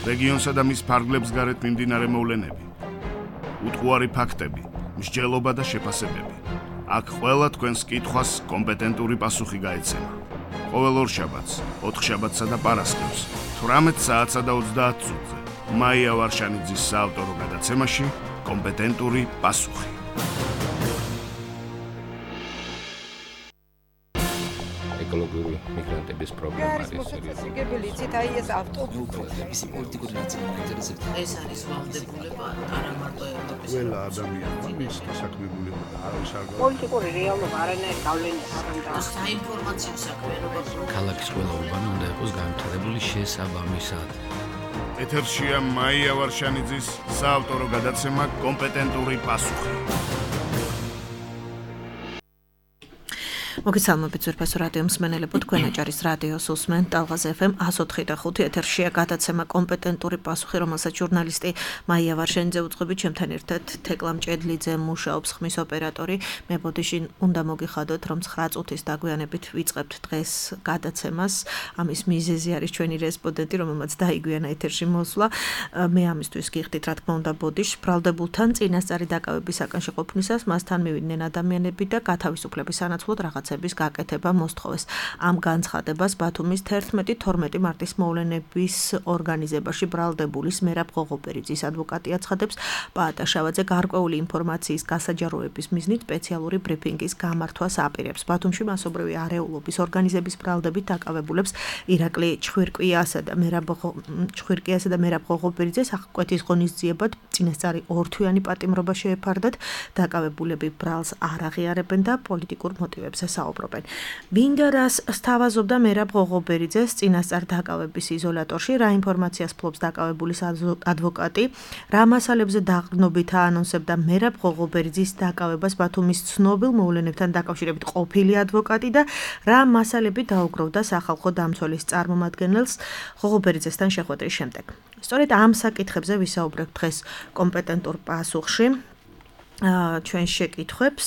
რეგიონსა და მის ფარგლებს გარეთ მიმდინარე მოვლენები, უტყუარი ფაქტები, მსჯელობა და შეფასებები. აქ ყველა თქვენს კითხვას კომპეტენტური პასუხი გაეცემა. ყოველ ორშაბათს, ოთხშაბათსა და პარასკევს, 18 საათსა და 30 წუთზე, მაია ვარშანიძის საავტორო გადაცემაში კომპეტენტური პასუხი. ეკოლოგიური მიგრანტების პრობლემა არის მოსაწესრიგებელი იცით აი ეს ავტობუსი ისი პოლიტიკური ნაწილი მაინტერესებს ეს არის ვალდებულება არა მარტო ევროპის ყველა ადამიანმა მის დასაქმებულება და არავის არ პოლიტიკური რეალობა არანაირ გავლენას არ უნდა საინფორმაციო საქმიანობა ქალაქის ყველა უბანი უნდა იყოს განვითარებული შესაბამისად ეთერშია მაია ვარშანიძის საავტორო გადაცემა კომპეტენტური პასუხი. მოგესალმებით ძვირფასო რადიო მსმენელებო, თქვენ აჭარის რადიოს უსმენთ ტალღაზ FM 104.5 ეთერშია გადაცემა კომპეტენტური პასუხი, რომელსაც ჟურნალისტი მაია ვარშანიძე უძღვებით, ჩემთან ერთად თეკლა მჭედლიძე მუშაობს, ხმის ოპერატორი. მე ბოდიში უნდა მოგიხადოთ, რომ 9 წუთის დაგვიანებით ვიწყებთ დღეს გადაცემას. ამის მიზეზი არის ჩვენი რესპონდენტი, რომელმაც დაიგვიანა ეთერში მოსვლა. მე ამისთვის გიხდით, რა თქმა უნდა, ბოდიში ბრალდებულთან წინასწარი დაკავებისაკენ შეყოფნისას მასთან მივიდნენ ადამიანები და გათავისუფლების სანაცვლოდ რაღაცების გაკეთება მოსთხოვეს. ამ განცხადებას ბათუმის 11-12 მარტის მოვლენების ორგანიზებაში ბრალდებულის მერაბ ღოღობერიძის ადვოკატი აცხადებს, პაატა შავაძე გარკვეული ინფორმაციის გასაჯაროების მიზნით სპეციალური ბრიფინგის გამართვას აპირებს. ბათუმში მასობრივი არეულობის ორგანიზების ბრალდებით დაკავებულებს ირაკლი ჩხვირკვიასა და მერაბ ღოღობერიძეს აღკვეთის ღონისძიებად წინასწარი ორთვიანი პატიმრობა შეეფარდათ. დაკავებულები ბრალს არ აღიარებენ და პოლიტიკურ მოტივებზე საუბრობენ. ვინგარას სთავაზობდა მერაბ ღოღობერიძეს წინასწარ დაკავების იზოლატორში, რა ინფორმაციას ფლობს დაკავებულის ადვოკატი, რა მასალებზე დაყრდნობით აანონსებდა მერაბ ღოღობერიძის დაკავებას ბათუმის ცნობილ მოვლენებთან დაკავშირებით ყოფილი ადვოკატი და რა მასალები დაუგროვდა სახალხო დამცველის წარმომადგენელს ღოღობერიძესთან შეხვედრის შემდეგ. სწორედ ამ საკითხებზე ვისაუბრებთ დღეს კომპეტენტურ პასუხში. ჩვენ შეკითხვებს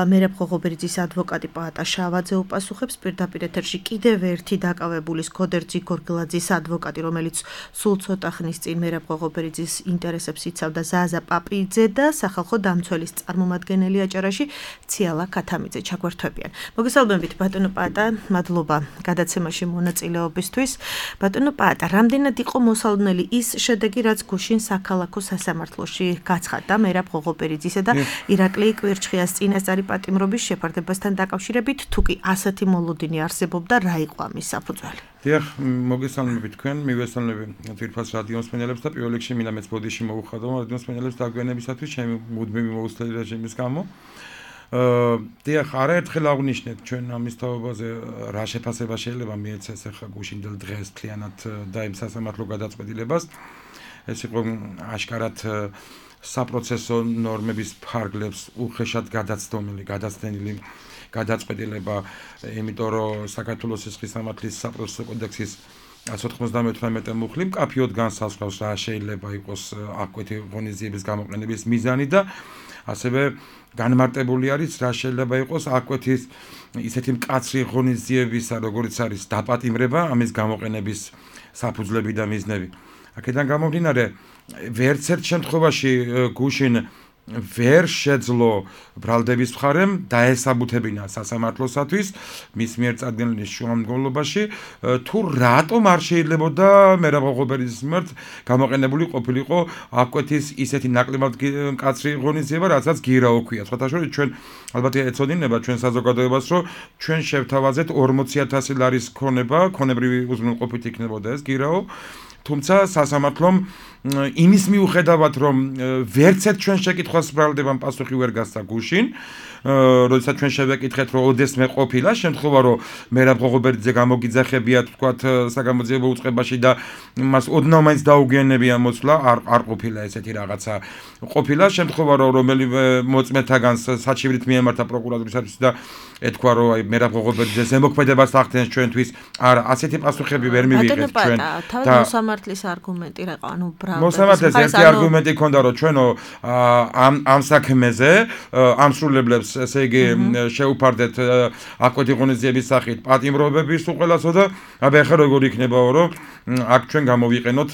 მერაბ ღოღობერიძის ადვოკატი პაატა შავაძე უპასუხებს, პირდაპირ ეთერში კიდევ ერთი დაკავებულის გოდერძი გორგილაძის ადვოკატი, რომელიც სულ ცოტა ხნის წინ მერაბ ღოღობერიძის ინტერესებს იცავდა ზაზა პაპიძე და სახალხო დამცველის წარმომადგენელი აჭარაში ციალა ქათამიძე ჩაგვერთვებიან. მოგესალმებით ბატონო პაატა, მადლობა გადაცემაში მონაწილეობისთვის. ბატონო პაატა, რამდენად იყო მოსალოდნელი ის შედეგი, რაც გუშინ საქალაქო სასამართლოში გაცხადდა მერაბ ღოღობერიძის და ირაკლი კვირჩხიას წინასწარი პატიმრობის შეფარდებასთან დაკავშირებით, თუ კი ასეთი მოლოდინი არსებობდა, რა იყო ამის საფუძველი? დიახ, მოგესალმებით თქვენ, მივესალმები ძვირფას რადიო მსმენელებს და პირველ რიგში მინდა მეც ბოდიში მოვუხადო რადიო მსმენელებს დაგვიანებისათვის ჩემი მუდმივი მოუსწრელი რეჟიმის გამო. დიახ, არაერთხელ აღვნიშნეთ ჩვენ ამის თაობაზე, რა შეფასება შეიძლება მიეცეს ახლა გუშინდელ დღეს მთლიანად და იმ სასამართლო გადაწყვეტილებას. ეს იყო აშკარად საპროცესო ნორმების ფარგლებს უხეშად გადაცდენილი გადაწყვეტილება, იმიტომ რომ საქართველოს სისხლის სამართლის საპროცესო კოდექსის 198 მუხლი მკაფიოდ განსაზღვრავს რა შეიძლება იყოს აღკვეთი ღონისძიების გამოყენების მიზანი და ასევე განმარტებული არის რა შეიძლება იყოს აღკვეთის ისეთი მკაცრი ღონისძიებისა, როგორც არის დაპატიმრება, ამის გამოყენების საფუძვლები და მიზნები. აქედან გამომდინარე, ვერც ერთ შემთხვევაში გუშინ ვერ შეძლო ბრალდების მხარემ დაესაბუთებინა სასამართლოსათვის მის მიერ წარდგენილი შუამდგომლობაში, თუ რატომ არ შეიძლებოდა მერაბ ღოღობერიძის მიმართ გამოყენებული ყოფილიყო აღკვეთის ისეთი ნაკლებად მკაცრი ღონისძიება, რასაც გირაო ქვია. სხვათა შორის ჩვენ ალბათ ეცოდინება ჩვენ საზოგადოებას, რომ ჩვენ შევთავაზეთ 40,000 ლარის ქონებრივი უზრუნველყოფით იქნებოდა ეს გირაო. თუმცა სასამართლომ იმის მიუხედავად, რომ ვერც ერთ ჩვენ შეკითხვას ბრალდებამ პასუხი ვერ გასცა გუშინ, როდესაც ჩვენ შევეკითხეთ, რომ ოდესმე ყოფილა შემთხვევა, რომ მერაბ ღოღობერიძე გამოგიძახებიათ, ვთქვათ, საგამოძიებო უწყებაში და მას ოდნავ მაინც დაუგიანებია მოსვლა, არ ყოფილა ესეთი რაღაცა. ყოფილა შემთხვევა, რომ რომელიმე მოწმეთაგანს საჩივრით მიემართა პროკურატურისათვის და ეთქვა, რომ აი მერაბ ღოღობერიძეს ემოქმედებას ახდენს ჩვენთვის. არა, ასეთი პასუხები ვერ მივიღეთ ჩვენ. და მოსამართლის არგუმენტი რა იყო, ანუ მოსამართლეს ერთი არგუმენტი ჰქონდა, რომ ჩვენო ამ საქმეზე ამსრულებლებს ესე იგი შეუფარდეთ აღკვეთი ღონისძიების სახით პატიმრობების უყველასო და აბა ახლა როგორ იქნებაო, რომ აქ ჩვენ გამოვიყენოთ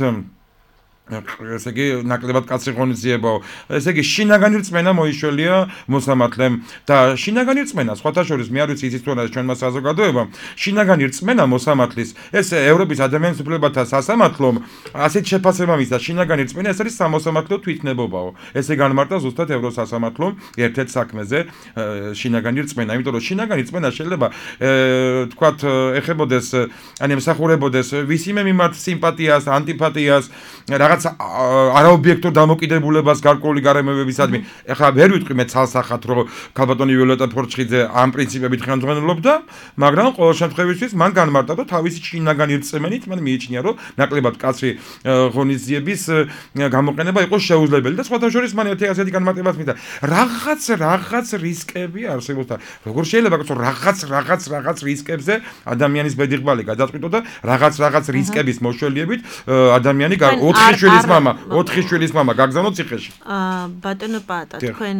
ესე იგი ნაკლებად კაცრი ღონისძიებაო. ესე იგი შინაგანი რწმენა მოიშველია მოსამართლემ და შინაგანი რწმენა სხვათა შორის მე არ ვიცი იცით თუ არა ჩვენმა საზოგადოებამ შინაგანი რწმენა მოსამართლის ეს ევროპის ადამიანის უფლებათა სასამართლომ ასეთ შეფასება მისცა შინაგანი რწმენა ეს არის სამოსამართლო თვითნებობაო. ესე განმარტა ზუსტად ევროსასამართლომ ერთ-ერთ საქმეზე შინაგანი რწმენა, იმიტომ რომ შინაგანი რწმენა შეიძლება თქვათ ეხებოდეს ან ემსახურებოდეს ვისიმე მიმართ სიმპათიას, ანტიპათიას არაობიექტურ დამოკიდებულებას გარკვეული გარემოებებისადმი. ეხლა ვერ ვიტყვი მე ცალსახად რომ ქალბატონი ვიოლეტა ფორჩხიძე ამ პრინციპებით ხელმძღვანელობდა, მაგრამ ყოველ შემთხვევაში მან განმარტა რომ თავისი შინაგანი რწმენით მან მიიჩნია რომ ნაკლებად კაცრი ღონისძიების გამოყენება იყო შეუძლებელი და სხვათა შორის მან ასეთი განმარტებაც მისცა. რაღაც რისკები არსებობს და როგორ შეიძლება რომ რაღაც რისკებზე ადამიანის ბედიღბალი გადაწყვიტო და რაღაც რისკების მოშველიებით ადამიანი 4 შვილის მამა გაგზავნო ციხეში. ბატონო პატა, თქვენ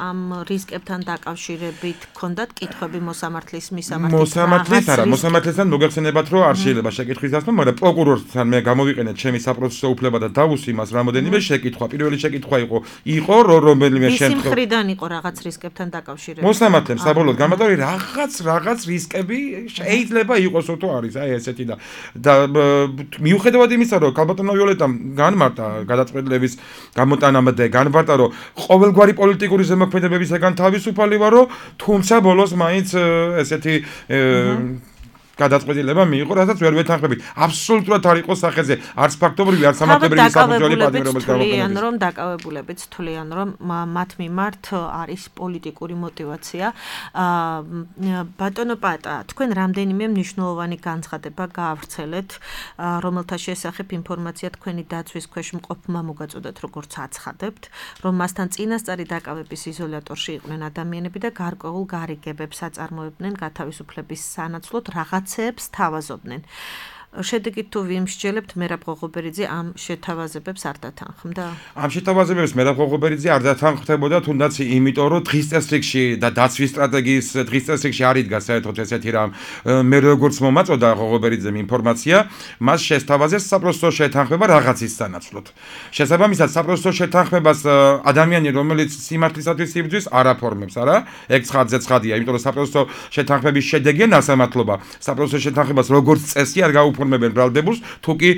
ამ რისკებთან დაკავშირებით გქონდათ კითხვები მოსამართლის მისამართით? მოსამართლისთან მოგეხსენებათ რომ არ შეიძლება შეკითხვის დასმა, მაგრამ პროკურორთან მე გამოვიყენეთ ჩემი საპროცესო უფლება და დავუსვი მას რამოდენიმე შეკითხვა. პირველი შეკითხვა იყო რომელიმე შემთხვევაში. ის მხრიდან იყო რაღაც რისკებთან დაკავშირებით. მოსამართლემ საბოლოოდ განმარტა რომ რაღაც რისკები შეიძლება იყოს თუ არის, აი ესეთი და მიუხედავად იმისა რომ ქალბატონო ვიოლეტამ განმარტა გადაწყვეტილების გამოტანამდე განმარტა რომ ყოველგვარი პოლიტიკური ზემოქმედებებისგან თავისუფალი ვარო, თუმცა ბოლოს მაინც ესეთი გადაწყვეტილება მიიღო, რასაც ვერ ვეთანხმებით. აბსოლუტურად არ იყო სახეზე, არც ფაქტობრივი, არც სამართლებრივი საფუძველი პატიმრობის გამოყენების. რომ დაკავებულებიც თვლიან, რომ მათ მიმართ არის პოლიტიკური мотиваცია. ბატონო პატა, თქვენ რამდენიმე მნიშვნელოვანი განცხადება გაავრცელეთ, რომელთა შესახებ ინფორმაცია თქვენი დაცვის ქვეშ მყოფმა მოგაწოდათ, როგორც აცხადებთ, რომ მასთან წინასწარი დაკავების იზოლატორში იყვნენ ადამიანები და გარკვეულ გარიგებებს აწარმოებდნენ გათავისუფლების სანაცვლოდ რაღაცებს თავაზობდნენ. შედეგით თუ ვიმსჯელებთ მერაბ ღოღობერიძე ამ შეთავაზებებს არ დათანხმდა? ამ შეთავაზებებს მერაბ ღოღობერიძე არ დათანხმდებოდა, თუნდაც იმიტომ რომ დღის წესრიგში და დაცვის სტრატეგიის დღის წესრიგში არ იდგა საერთოდ ესეთი რამ. მე როგორც მომაწოდა ღოღობერიძემ ინფორმაცია, მას შესთავაზეს საპროცესო შეთანხმება რაღაცის სანაცვლოდ. შესაბამისად საპროცესო შეთანხმებას ადამიანი რომელიც სიმართლისათვის იბრძვის არ აფორმებს, არა? ეგ ცხადზე ცხადია, იმიტომ რომ საპროცესო შეთანხმების შედეგია ნასამართლობა. საპროცესო შეთანხმებას როგორც წესი არ გაუფორმებენ ბრალდებულს, თუ კი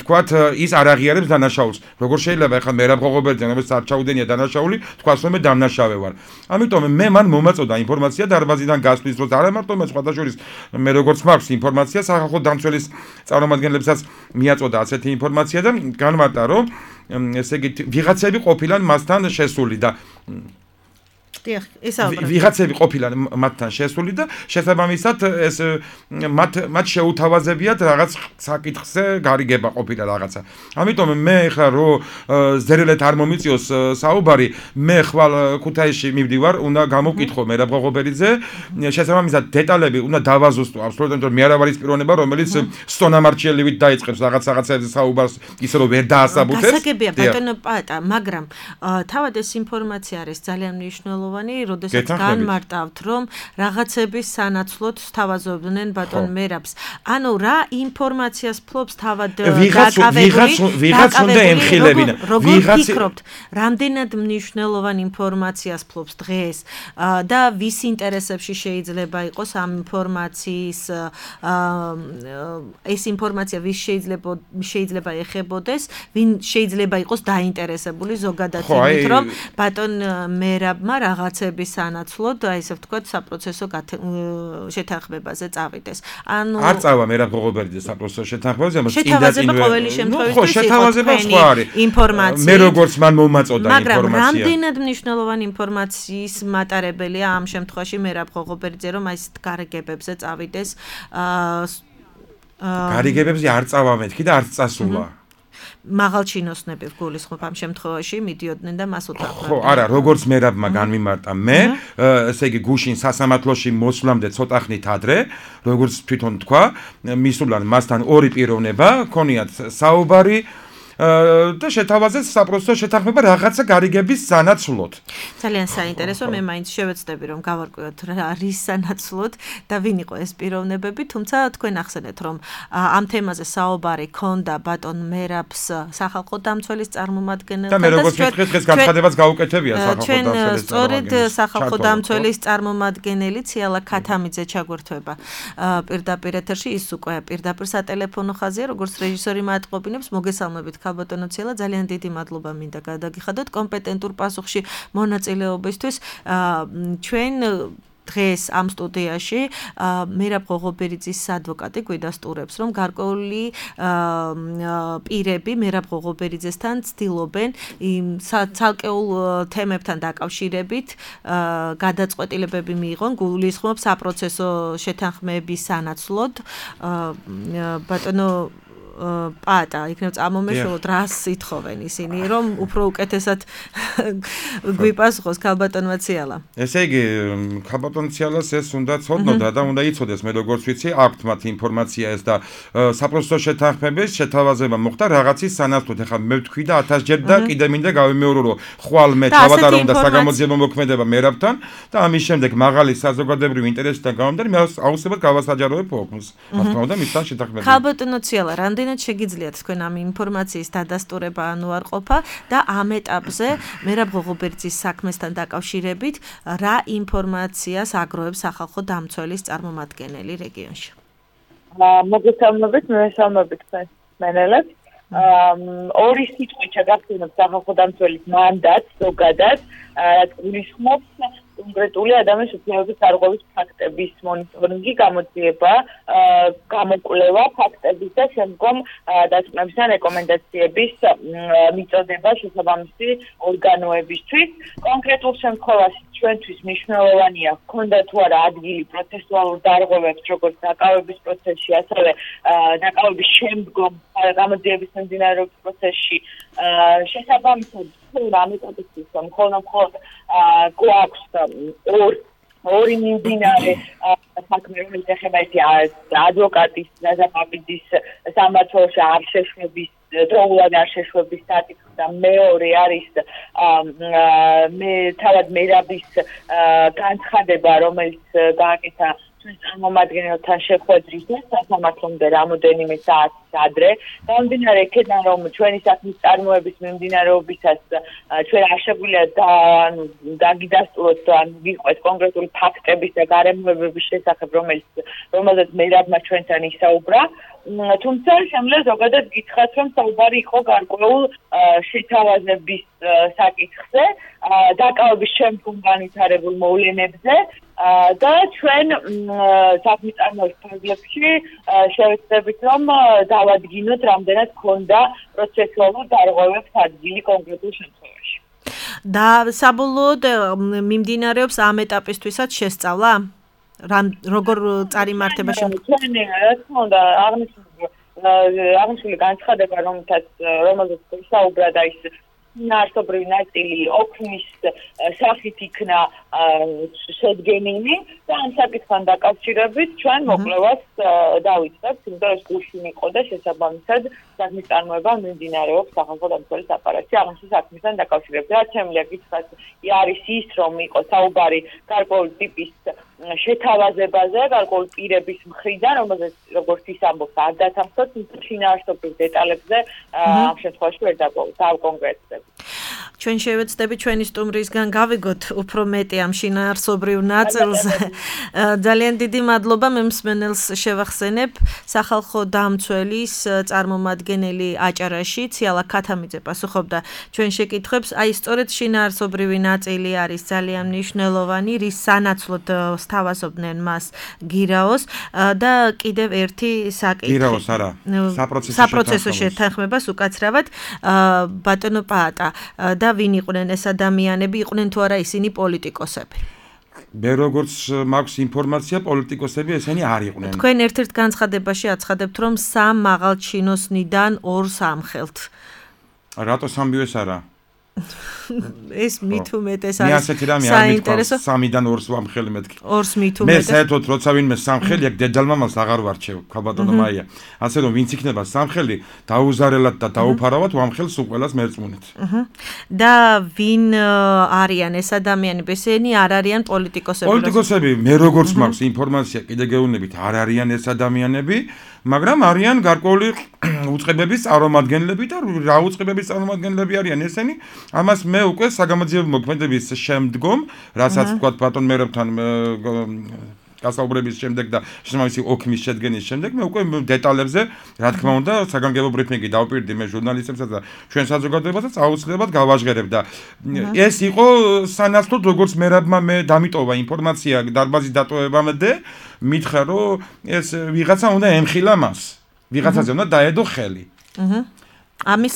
თქვათ ის არ აღიარებს დანაშაულს. როგორ შეიძლება ახლა მერაბ ღოღობერიძე, რომელიც არ ჩაუდენია დანაშაული, თქვას რომ მე დამნაშავე ვარ. ამიტომ მე მან მომაწოდა ინფორმაცია დარბაზიდან გასვლის დროს, არა მარტო მე სხვათა შორის მე როგორც მაქვს ინფორმაცია, სახალხო დამცველის წარმომადგენლებსაც მიაწოდა ასეთი ინფორმაცია და განმარტა რომ ესე იგი ვიღაცები ყოფილან მასთან შესული და ვიღაცები ყოფილან მათთან შესული და შესაბამისად ეს მათ შეუთავაზებიათ რაღაც საკითხზე გარიგება ყოფილა რაღაცა. ამიტომ მე ხა რომ ზერელეთ არ მომიწიოს საუბარი, მე ხვალ ქუთაისში მივდივარ, უნდა გამოვკითხო მერაბ ღოღობერიძე, შესაბამისად დეტალები უნდა დავაზუსტო აბსოლუტურად, მე არ ვარ ის პიროვნება, რომელიც სტონამარჩიელივით დაიწყებს რაღაცებზე საუბარს, ისე რომ ვერ დაასაბუთებს. გასაგებია ბატონო პატა, მაგრამ თავად ეს ინფორმაცია არის ძალიან მნიშვნელოვანი. როდესაც განმარტავთ, რომ რაღაცების სანაცვლოდ თავაზობდნენ ბატონ მერაბს. ანუ რა ინფორმაციას ფლობს თავად ვიღაც უნდა ემხილებინა. როგორ ფიქრობთ, რამდენად მნიშვნელოვან ინფორმაციას ფლობს დღეს და ვის ინტერესებში შეიძლება იყოს ამ ინფორმაციის ეს ინფორმაცია ვის შეიძლება ეხებოდეს, ვინ შეიძლება იყოს დაინტერესებული ზოგადად იმით, რომ ბატონ მერაბმა რაღაცების სანაცვლოდ, აი ესე ვთქვათ, საპროცესო შეთანხმებაზე წავიდეს. ანუ არ წავა მერაბ ღოღობერიძე საპროცესო შეთანხმებაზე, მაგრამ შეთავაზება ყოველი შემთხვევაში შეთავაზება სხვა არის. ინფორმაცია. მე როგორც მან მომაწოდა ინფორმაცია. მაგრამ რამდენად მნიშვნელოვანი ინფორმაციის მატარებელია ამ შემთხვევაში მერაბ ღოღობერიძე, რომ აი ეს გარიგებებზე წავიდეს? გარიგებებზე არ წავა მეთქი და არც წასულა. მაღალ ჩინოსნები გულისხმობ ამ შემთხვევაში მიდიოდნენ და მას უთანხმებდნენ. ხო, არა, როგორც მერაბმა განმიმარტა მე, ესე იგი გუშინ სასამართლოში მოსვლამდე ცოტა ხნით ადრე, როგორც თვითონ თქვა, მისულან მასთან ორი პიროვნება, ქონიათ საუბარი და შეთავაზეს საპროცესო შეთანხმება რაღაცა გარიგების სანაცვლოდ. ძალიან საინტერესო, მე მაინც შევეცდები რომ გავარკვიოთ რის სანაცვლოდ და ვინ იყო ეს პიროვნებები, თუმცა თქვენ ახსენეთ რომ ამ თემაზე საუბარი ქონდა ბატონ მერაბს სახალხო დამცველის წარმომადგენელთან და მე როგორც ვიტყვი დღეს განცხადებაც გაუკეთებია სახალხო ჩვენ დამცველის სწორედ სახალხო დამცველის წარმომადგენელი ციალა ქათამიძე ჩაგვერთვება პირდაპირ ეთერში, ის უკვე პირდაპირ სატელეფონო ხაზია, როგორც რეჟისორი მატყობინებს, მოგესალმებით ქალბატონო ციალა, ძალიან დიდი მადლობა მინდა გადაგიხადოთ კომპეტენტურ პასუხში მონაწილეობისთვის. ჩვენ დღეს ამ სტუდიაში მერაბ ღოღობერიძის ადვოკატი გვიდასტურებს, რომ გარკვეული პირები მერაბ ღოღობერიძესთან ცდილობენ იმ ცალკეულ თემებთან დაკავშირებით გადაწყვეტილებები მიიღონ, გულისხმობ საპროცესო შეთანხმების სანაცვლოდ. ბატონო პატა, იქნებ წამომეშველოთ, რას ითხოვენ ისინი, რომ უფრო უკეთესად გვიპასუხოს ქალბატონმა ციალა. ესე იგი, ქალბატონ ციალას ეს უნდა ცოდნოდა და უნდა იცოდეს, მე როგორც ვიცი, აქვთ მათ ინფორმაცია ეს და საპროცესო შეთანხმების შეთავაზება მოხდა რაღაცის სანაცვლოდ. ეხლა მე ვთქვი და 1000 ჯერ და კიდე მინდა გავიმეორო, რომ ხვალ მე ჩავატარო და საგამოძიებო მოქმედება მერაბთან და ამის შემდეგ მაღალი საზოგადოებრივი ინტერესიდან გამომდინარე, მე აუცილებლად გავასაჯაროებ ოქმს. რა თქმა უნდა, მისთან შეთანხმება. ქალბატონო ციალა, რამდენად შეგიძლიათ თქვენ ამ ინფორმაციის დადასტურება ან უარყოფა და ამ ეტაპზე მერაბ ღოღობერიძის საქმესთან დაკავშირებით რა ინფორმაციას აგროვებს სახალხო დამცველის წარმომადგენელი რეგიონში? მოგესალმებით, მესალმებით თქვენ მენელებს. ორი სიტყვით შეგახსენებთ სახალხო დამცველის მანდატს ზოგადად, რაც გულისხმობს კონკრეტული ადამიანის უფლებების დარღვევის ფაქტების მონიტორინგი, გამოძიება, გამოკვლევა ფაქტების და შემდგომ დაწვრილებისა და რეკომენდაციების მიწოდება შესაბამისი ორგანოებისთვის. კონკრეტულ შემთხვევაში ჩვენთვის მნიშვნელოვანია ჰქონდა თუ არა ადგილი პროცესუალურ დარღვევებს, როგორც დაკავების პროცესში, ასევე დაკავების შემდგომ გამოძიების მიმდინარეობის პროცესში. შესაბამისად ამ ეტაპისთვის მხოლოდ გვაქვს ორი მიმდინარე საქმე, რომელიც ეხება ადვოკატის ნაზაპაპიძის სამართალში არ შეშვების დროულად არ შეშვების საკითხი და მეორე არის თავად მერაბის განცხადება, რომელიც გააკეთა ჩვენ წარმომადგენელთან შეხვედრის სასამართლომდე რამოდენიმე საათის ადრე. გამომდინარე იქედან, რომ ჩვენი საქმის წარმოების მიმდინარეობისას ჩვენ არ შეგვიძლია დაგიდასტუროთ ან ვიყვეთ კონკრეტული ფაქტების და გარემოებების შესახებ, რომელზეც მერაბმა ჩვენთან ისაუბრა. თუმცა შემიძლია ზოგადად გითხრათ, რომ საუბარი იყო გარკვეულ შეთავაზების საკითხზე, დაკავების შემდგომ განვითარებულ მოვლენებზე და ჩვენ საქმის წარმოების ფარგლებში შევეცდებით, რომ დავადგინოთ, რამდენად ჰქონდა პროცესუალურ დარღვევებს ადგილი კონკრეტულ შემთხვევაში. და საბოლოოდ მიმდინარეობს ამ ეტაპისთვისაც შესწავლა? როგორ წარიმართება ჩვენ რა თქმა უნდა აღნიშნული განცხადება, რომელზეც ისაუბრა და ის ნარსობრივი ნაწილი ოქმის სახით იქნა შედგენილი და ამ საკითხთან დაკავშირებით ჩვენ მოკვლევას დავიწყებთ, იმიტომ რომ გულში მიყო და შესაბამისად საქმის წარმოება მიმდინარეობს სახალხო დამცველის აპარატში აღნიშნული საქმისთან დაკავშირებით. რაც შემიძლია გითხრათ, არის ის, რომ იყო საუბარი გარკვეული ტიპის შეთავაზებაზე, გარკვეული პირების მხრიდან, რომელზეც როგორც ის ამბობს, არ დათანხმდათ, შინაარსობრივ დეტალებზე ამ შემთხვევაში ვერ დავკონკრეტდები. ჩვენ შევეცდები ჩვენი სტუმრისგან გავიგოთ უფრო მეტი ამ შინაარსობრივ ნაწილზე. ძალიან დიდი მადლობა, მე მსმენელს შევახსენებ, სახალხო დამცველის წარმომადგენელი აჭარაში ციალა ქათამიძე პასუხობდა ჩვენ შეკითხვებს. აი სწორედ შინაარსობრივი ნაწილი არის ძალიან მნიშვნელოვანი, რის სანაცვლოდ სთავაზობდნენ მას გირაოს და კიდევ ერთი საკითხი. გირაოს არა, საპროცესო შეთანხმებას უკაცრავად ბატონო პაატა და ვინ იყვნენ ეს ადამიანები, იყვნენ თუ არა ისინი პოლიტიკოსები? მე როგორც მაქვს ინფორმაცია, პოლიტიკოსები ესენი არ იყვნენ. თქვენ ერთ-ერთ განცხადებაში აცხადებთ, რომ 3 მაღალჩინოსნიდან 2-ს ამხელთ. რატო 3-ს არა? ეს მით უმეტეს მე არის ასეთი რამე არ მithქვას 3-დან 2-ს ვამხელი მეთქი 2-ს მით მე უმეტეს საერთოდ როცა ვინმე სამხელი აქ დედალმამალს აღარ ვარჩევ ქალბატონო მაია ასე რომ ვინც იქნება სამხელი დაუზარელად და დაუფარავად ვამხელს უყველას მერწმუნეთ და ვინ არიან ეს ადამიანები ესენი არ არიან პოლიტიკოსები მე როგორც მაქვს ინფორმაცია კიდე გეუბნებით არ არიან ეს ადამიანები მაგრამ არიან გარკვეული უწყებების წარმომადგენლები და რა უწყებების წარმომადგენლები არიან ესენი ამას მე უკვე საგამოძიებო მოქმედების შემდგომ რასაც ვთქვათ ბატონ მერებთან გასაუბრების შემდეგ და შესაბამისი ოქმის შედგენის შემდეგ მე უკვე დეტალებზე რა თქმა უნდა საგანგებო ბრიფინგი დავპირდი მე ჟურნალისტებსაც და ჩვენ საზოგადოებასაც აუცილებლად გავაჟღერებ და ეს იყო სანაცვლოდ როგორც მერაბმა მე დამიტოვა ინფორმაცია დარბაზის დატოვებამდე მითხრა რომ ეს ვიღაცა უნდა ემხილა მას ვიღაცაზე უნდა დაედო ხელი ამის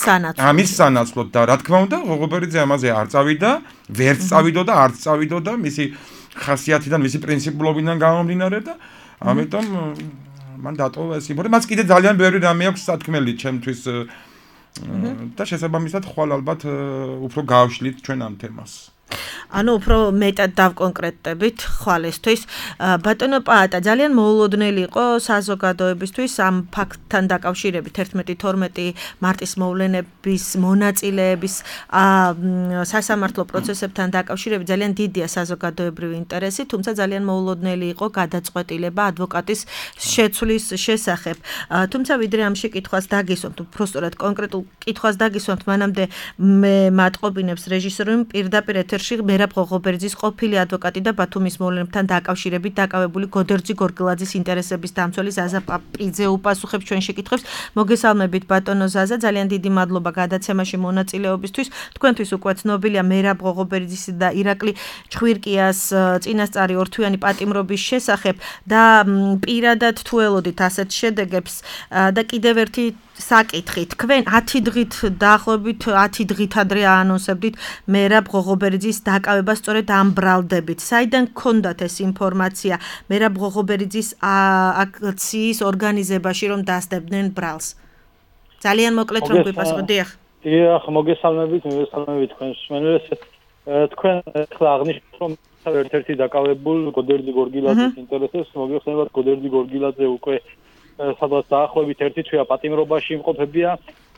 სანაცვლოდ და რა თქმა უნდა ღოღობერიძე ამაზე არ წავიდა ვერც წავიდო და არც წავიდო და მისი ხასიათიდან მისი პრინციპულობიდან გამომდინარე და ამიტომ მან დატოვა ეს იმორი მას კიდე ძალიან ბევრი რამე აქვს სათქმელი ჩემთვის და შესაბამისად ხვალ ალბათ უფრო გავშლით ჩვენ ამ თემას ანუ უფრო მეტად დავკონკრეტებით ხვალესთვის ბატონო პაატა ძალიან მოულოდნელი იყო საზოგადოებისთვის ამ ფაქტთან დაკავშირებით 11-12 მარტის მოვლენების მონაწილეების სასამართლო პროცესებთან დაკავშირებით ძალიან დიდია საზოგადოებრივი ინტერესი თუმცა ძალიან მოულოდნელი იყო გადაწყვეტილება ადვოკატის შეცვლის შესახებ თუმცა ვიდრე ამ შეკითხვას დაგისვამთ უბრალოდ კონკრეტულ კითხვას დაგისვამთ მანამდე მე მატყობინებს რეჟისორი პირდაპირ ეთერში მერაბ ღოღობერძის ყოფილი ადვოკატი და ბათუმის მოვლენებთან დაკავშირებით დაკავებული გოდერძი გორგილაძის ინტერესების დამცველი ზაზა პაპიძე უპასუხებს ჩვენ შეკითხვებს. მოგესალმებით ბატონო ზაზა, ძალიან დიდი მადლობა გადაცემაში მონაწილეობისთვის. თქვენთვის უკვე ცნობილია მერაბ ღოღობერძის და ირაკლი ჩხვირკიას წინასწარი ორთვიანი პატიმრობის შესახებ და პირადად თუ ელოდით ასეთ შედეგებს და კიდევ ერთი საკითხი თქვენ 10 დღით დაახლოებით 10 დღით ადრე აანონსებდით მერაბ ღოღობერძის დაკავება სწორედ ამ ბრალდებით. საიდან გქონდათ ეს ინფორმაცია მერაბ ღოღობერძის აქციის ორგანიზებაში რომ დასდებდნენ ბრალს? ძალიან მოკლედ რომ გვიპასუხოთ. დიახ, მოგესალმებით თქვენს მსმენელს. თქვენ ახლა აღნიშნეთ რომ ერთ-ერთი დაკავებულ გოდერძი გორგილაძის ინტერესებს მოგეხსენებათ გოდერძი გორგილაძე უკვე სადაც დაახლოებით 1 თვეა პატიმრობაში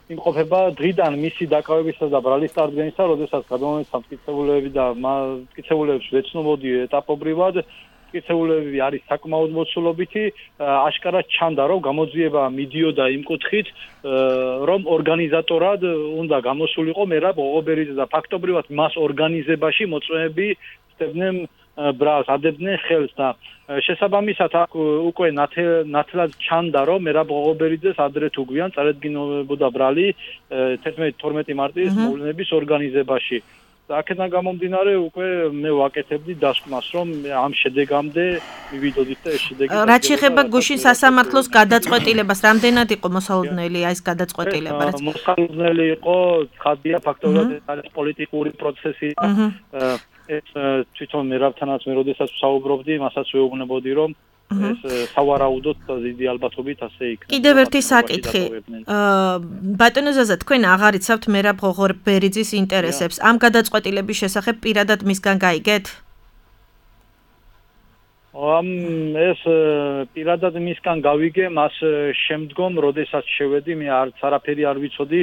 იმყოფება დღიდან მისი დაკავებისა და ბრალის წარდგენისა, როდესაც გადამოეცა მტკიცებულები და მტკიცებულებს ვეცნობოდი ეტაპობრივად, მტკიცებულები არის საკმაოდ მოცულობითი, აშკარად ჩანდა, რომ გამოძიება მიდიოდა იმ კუთხით, რომ ორგანიზატორად უნდა გამოსულიყო მერაბ ღოღობერიძე და ფაქტობრივად მას ორგანიზებაში მოწვევები ხდებდნენ ბრალს ადებდნენ ხელს და შესაბამისად აქ უკვე ნათლად ჩანდა რომ მერაბ ღოღობერიძეს ადრე თუ გვიან წარედგინებოდა ბრალი 11-12 მარტის მოვლენების ორგანიზებაში და აქედან გამომდინარე უკვე მე ვაკეთებდი დასკვნას რომ ამ შედეგამდე მივიდოდით და ეს შედეგი რაც შეეხება გუშინ სასამართლოს გადაწყვეტილებას რამდენად იყო მოსალოდნელი ეს გადაწყვეტილება რაც მოსალოდნელი იყო ხადია ფაქტობრივად არის პოლიტიკური პროცესი ეს თვითონ მერაბთანაც მე როდესაც ვსაუბრობდი, მასაც ვეუბნებოდი, რომ ეს სავარაუდოდ დიდი ალბათობით ასე იქნება. კიდევ ერთი საკითხი. ბატონო ზაზა, თქვენ აღარ იცავთ მერაბ ღოღობერიძის ინტერესებს. ამ გადაწყვეტილების შესახებ პირადად მისგან გაიგეთ? ეს პირადად მისგან გავიგე, მას შემდგომ, როდესაც შევედი, მე არაფერი არ ვიცოდი.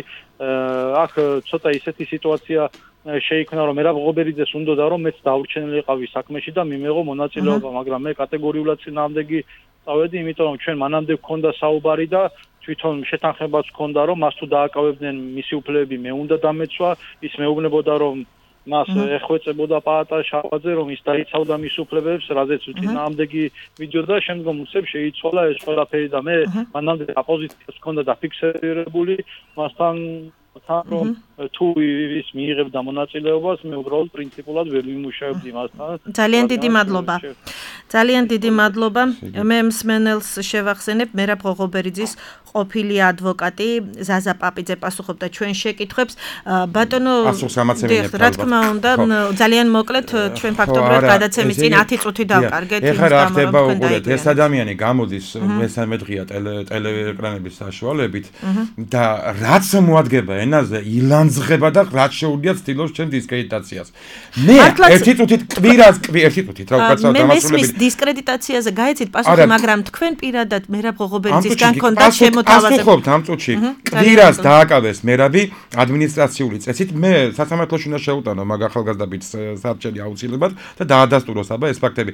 აქ ცოტა ისეთი სიტუაცია შეიქმნა რომ მერაბ ღოღობერიძეს უნდოდა რომ მეც დაურჩენილიყავი საქმეში და მიმეღო მონაწილეობა, მაგრამ მე კატეგორიულად წინააღმდეგი წავედი, იმიტომ რომ ჩვენ მანამდე გქონდა საუბარი და თვითონ შეთანხმებაც გქონდა რომ მას თუ დააკავებდნენ მისი უფლებები მე უნდა დამეცვა, ის მეუბნებოდა რომ მას ეხვეწებოდა პაატა შავაძე რომ ის დაიცავდა მის უფლებებს, რაზეც წინააღმდეგი მიდიოდა, შემდგომ უცებ შეიცვალა ეს ყველაფერი და მე მანამდე აპოზიციას გქონდა დაფიქსირებული მასთან რომ თუ ის მიიღებდა მონაწილეობას, მე უბრალოდ პრინციპულად ვერ მიმუშავებდი მასთან. ძალიან დიდი მადლობა. ძალიან დიდი მადლობა. მე მსმენელს შევახსენებ მერაბ ღოღობერიძის ყოფილი ადვოკატი ზაზა პაპიძე პასუხობდა ჩვენ შეკითხვებს. ბატონო რა თქმა უნდა, ძალიან მოკლედ ჩვენ ფაქტობრივად გადაცემის წინ 10 წუთი დავკარგეთ. ეხლა რა ხდება უყურეთ, ეს ადამიანი გამოდის მესამე დღეა ტელეეკრანების საშუალებით და რაც მოადგება ენაზე ილანძღება და რაც შეუძლია ცდილობს ჩემ დისკრედიტაციას. მე ერთი წუთით კვირას ერთი წუთით რა უკაცრავ დამასრულებელი. მე დისკრედიტაციაზე გაეცით პასუხი, მაგრამ თქვენ პირადად მერაბ ღოღობერიძისგან გქონდათ შემოთავაზება. პასუხობთ ამ წუთში. კვირას დააკავეს მერაბი ადმინისტრაციული წესით. მე სასამართლოში უნდა შევუტანო მაგ ახალგაზრდა ბიჭს საბჭელი აუცილებლად და დაადასტუროს აბა ეს ფაქტები.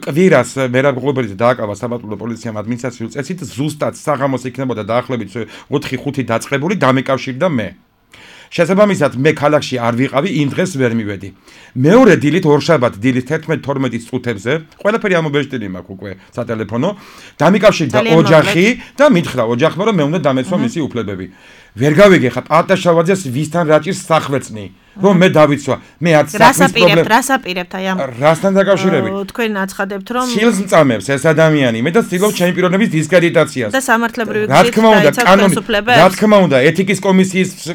კვირას მერაბ ღოღობერიძე დააკავა საბატონო პოლიციამ ადმინისტრაციული წესით, ზუსტად საღამოს იქნებოდა დაახლოებით 4-5 დაწყებული დამეკავშირდა მე. შესაბამისად მე ქალაქში არ ვიყავი, იმ დღეს ვერ მივედი. მეორე დილით ორშაბათ დილის 11-12 წუთებზე, ყველაფერი ამობეჭდილი მაქვს უკვე სატელეფონო, დამეკავშირდა ოჯახი და მითხრა ოჯახმა რომ მე უნდა დამეცვა მისი უფლებები. ვერ გავიგე ხა პატაშავაძეს ვისთან რაჭის სახვეწნი. რომ მე დავიცვა, მე არც საქმის პრობლემა. რასაპირებთ აი ამ რასთან დაკავშირებით? თქვენ აცხადებთ რომ სილს მწამებს ეს ადამიანი, მე და ცდილობ ჩემი პიროვნების დისკრედიტაციას. და სამართლებრივი გზით დაიცავ უფლებებს. რა თქმა უნდა, ეთიკის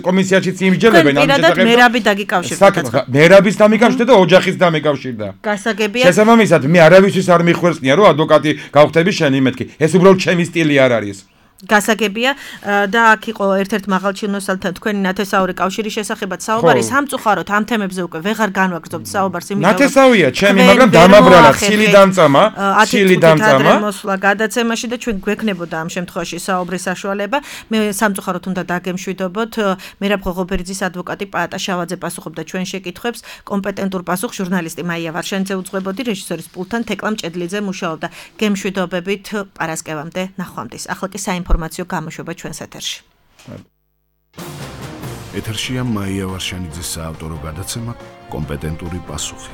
კომისიაშიც იმსჯელებენ ამ შესახებ. მერაბი დაგიკავშირდა. მერაბის დამიკავშირდა და ოჯახის დამიკავშირდა. გასაგებია. შესაბამისად, მე არავისთვის არ მიხვერწნია, რომ ადვოკატი გავხდები შენი მეთქი. ეს უბრალოდ ჩემი სტილი არ არის. გასაგებია და აქ იყო ერთ-ერთ მაღალჩინოსალთან თქვენი ნათესაური კავშირის შესახებაც საუბარი სამწუხაროდ ამ თემებზე უკვე ვეღარ განვაგრძობთ საუბარს იმიტომ რომ ნათესავია ჩემი მაგრამ დამაბრალა სილი დამწამა მოსვლა გადაცემაში და ჩვენ გვექნებოდა ამ შემთხვევაში საუბრის საშუალება მე სამწუხაროდ უნდა დაგემშვიდობოთ მერაბ ღოღობერიძის ადვოკატი პაატაშავაძე პასუხობდა ჩვენ შეკითხვებს კომპეტენტურ პასუხს ჟურნალისტი მაია ვარშენიძე უძღვებოდი რეჟისორის პულტთან თეკლა მჭედლიძე მუშაობდა გემშვიდობებით პარასკევამდე ნახვამდის ახლა კი ინფორმაციო გამოშვება ჩვენს ეთერში. ეთერშია მაია ვარშენიძის საავტორო გადაცემა კომპეტენტური პასუხი.